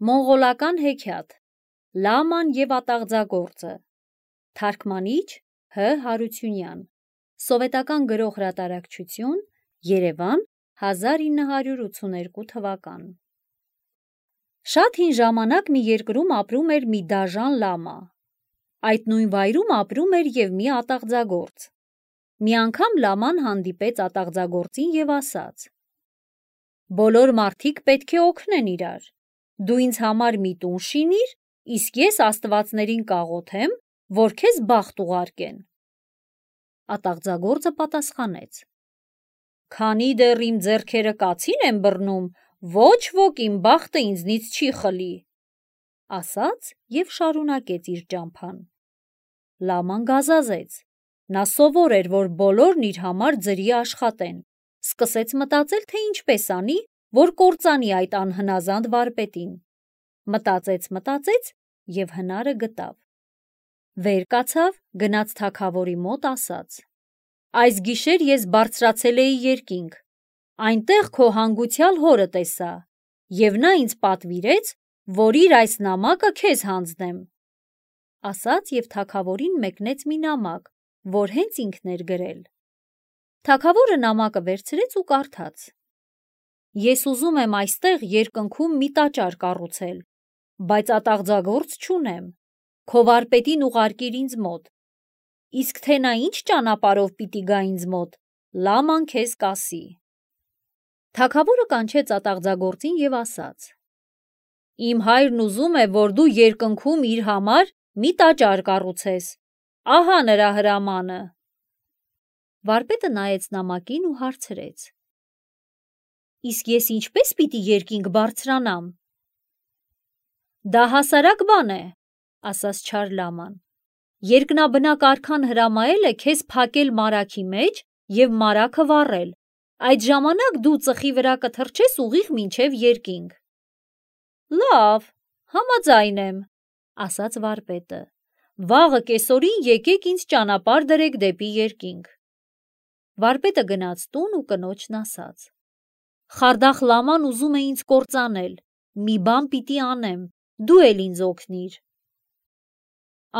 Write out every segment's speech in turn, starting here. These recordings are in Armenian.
Մոնղոլական հեքիաթ Լաման և ատաղձագործը Թարգմանիչ Հ. Հարությունյան Սովետական գրող հրատարակչություն Երևան 1982 թվական Շատ հին ժամանակ մի երկրում ապրում էր մի դաժան լամա։ Այդ նույն վայրում ապրում էր և մի ատաղձագործ։ Մի անգամ լաման հանդիպեց ատաղձագործին և ասաց. «Բոլոր մարդիկ պետք է օգնեն իրար։ Դու ինձ համար մի տուն շինիր, իսկ ես աստվածներին կաղոթեմ, որ քեզ բախտ ուղարկեն»։ Ատաղձագործը պատասխանեց. «Քանի դեռ իմ ձեռքերը կացին են բռնում, ոչ ոք իմ բախտը ինձնից չի խլի», ասաց և շարունակեց իր ճամփան։ Լաման գազազեց։ Նա սովոր էր, որ բոլորն իր համար ձրի աշխատեն, սկսեց մտածել, թե ինչպես անի, որ կործանի այդ անհնազանդ վարպետին։ Մտածեց և հնարը գտավ։ Վեր կացավ, գնաց թագավորի մոտ, ասաց. «Այս գիշեր ես բարձրացել էի երկինք, այնտեղ քո հանգուցյալ հորը տեսա, և նա ինձ պատվիրեց, որ իր այս նամակը քեզ հանձնեմ»։ Ասաց և թագավորին մեկնեց մի նամակ, որ հենց ինքն էր գրել։ Թագավորը նամակը վերցրեց ու կարդաց. «Ես ուզում եմ այստեղ երկնքում մի տաճար կառուցել, բայց ատաղձագործ չունեմ, քո վարպետին ուղարկիր ինձ մոտ, իսկ թե նա ինչ ճանապարհով պիտի գա ինձ մոտ, լաման քեզ կասի»։ Թագավորը կանչեց ատաղձագործին և ասաց. «Իմ հայրն ուզում է, որ դու երկնքում իր համար մի տաճար կառուցես, ահա նրա հրամանը»։ Վարպետը նայեց նամակին ու հարցրեց. «Իսկ ես ինչպե՞ս պիտի երկինք բարձրանամ»։ «Դա հասարակ բան է», ասաց չար լաման։ «Երկնաբնակ արքան հրամայել է քեզ փակել մարագի մեջ և մարագը վառել, այդ ժամանակ դու ծխի վրա կթռչես ուղիղ մինչև երկինք»։ «Լավ, համաձայն եմ», ասաց վարպետը։ «Վաղը կեսօրին եկեք ինձ ճանապարհ դրեք դեպի երկինք»։ Վարպետը գնաց տուն ու կնոջն ասաց. «Խարդախ լաման ուզում է ինձ կործանել, մի բան պիտի անեմ, դու էլ ինձ օգնիր»։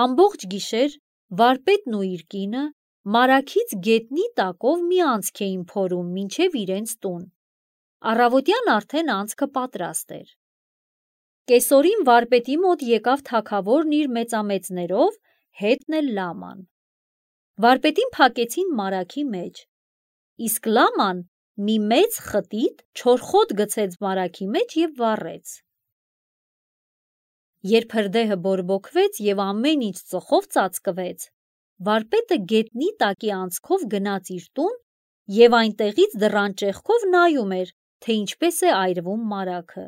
Ամբողջ գիշեր վարպետն ու իր կինը մարագից գետնի տակով մի անցք էին փորում մինչև իրենց տուն։ Առավոտյան արդեն անցքը պատրաստ էր։ Կեսօրին վարպետի մոտ եկավ թագավորն իր մեծամեծներով, հետն էլ լաման։ Վարպետին փակեցին մարագի մեջ, իսկ լաման մի մեծ խտիտ չորխոտ գցեց մարագի մեջ և վառեց։ Երբ հրդեհը բորբոքվեց և ամեն ինչ ծխով ծածկվեց, վարպետը գետնի տակի անցքով գնաց իր տուն և այնտեղից դռան ճեղքով նայում էր, թե ինչպես է այրվում մարագը,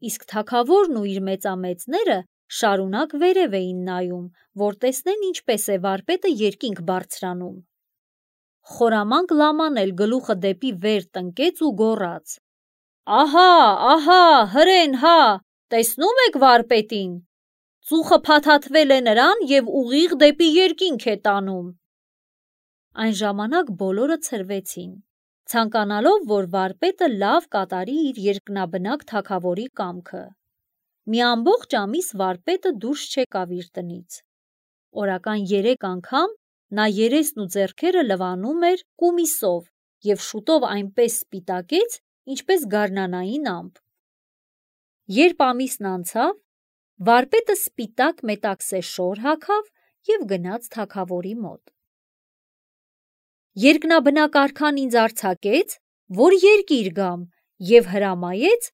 իսկ թագավորն ու իր մեծամեծները շարունակ վերև էին նայում, որ տեսնեն ինչպես է վարպետը երկինք բարձրանում։ Խորամանկ լաման էլ գլուխը դեպի վեր տնկեց ու գոռաց. «Ահա, ահա, հրեն հա, տեսնո՞ւմ եք վարպետին, ծուխը փաթաթվել է նրան և ուղիղ դեպի երկինք է տանում»։ Այն ժամանակ բոլորը ցրվեցին, ցանկանալով, որ վարպետը լավ կատարի իր երկնաբնակ թագավորի կամքը։ Մի ամբողջ ամիս վարպետը դուրս չեկավ իր տնից։ Օրական 3 անգամ նա երեսն ու ձեռքերը լվանում էր կումիսով և շուտով այնպես սպիտակեց, ինչպես գարնանային ամպ։ Երբ ամիսն անցավ, վարպետը սպիտակ մետաքսե շոր հագավ և գնաց թագավորի մոտ։ «Երկնաբնակ արքան ինձ արձակեց, որ երկիր գամ և հրամայեց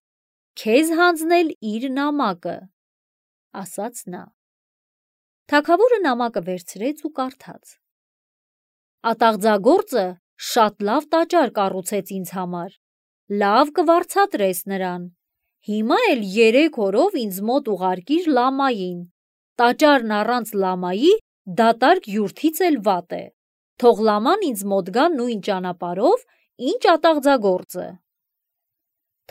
քեզ հանձնել իր նամակը», ասաց նա։ Թագավորը նամակը վերցրեց ու կարդաց. «Ատաղձագործը շատ լավ տաճար կառուցեց ինձ համար, լավ կվարձատրես նրան, հիմա էլ 3 օրով ինձ մոտ ուղարկիր լամային, տաճարն առանց լամայի դատարկ յուրթից էլ վատ է, թող լաման ինձ մոտ գա նույն ճանապարհով, ինչ ատաղձագործը»։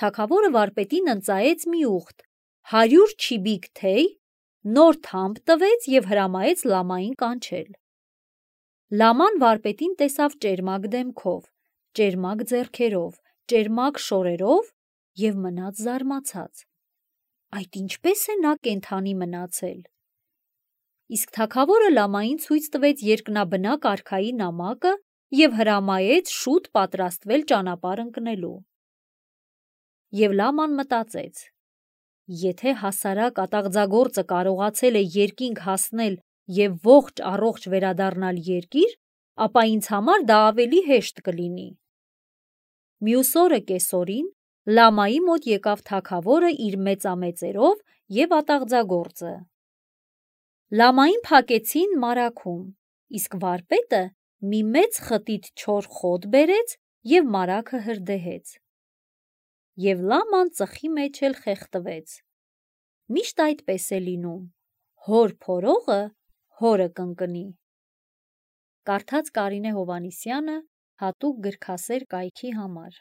Թագավորը վարպետին ընծայեց մի ուղտ, 100 չիբիկ թեյ, նոր թամփ տվեց և հրամայեց լամային կանչել։ Լաման վարպետին տեսավ ճերմակ դեմքով, ճերմակ ձեռքերով, ճերմակ շորերով և մնաց զարմացած։ այդ ինչպես է նա կենդանի մնացել։ Իսկ թագավորը լամային ցույց տվեց երկնաբնակ արքայի նամակը և հրամայեց շուտ պատրաստվել ճանապարհ ընկնելու։ Եվ լաման մտածեց. եթե հասարակ ատաղձագործը կարողացել է երկինք հասնել և ողջ առողջ վերադառնալ երկիր, ապա ինձ համար դա ավելի հեշտ կլինի։ Մյուս օրը կեսօրին լամայի մոտ եկավ թագավորը իր մեծամեծերով և ատաղձագործը։ Լամային փակեցին մարագում, իսկ վարպետը մի մեծ խտիտ չոր խոտ բերեց և մարագը հրդեհեց։ Եվ լաման ծխի մեջ էլ խեղդվեց։ Միշտ այդպես է լինում. հոր փորողը հորը կընկնի։ Կարդաց Կարինե Հովհաննիսյանը հատուկ գրքասեր կայքի համար։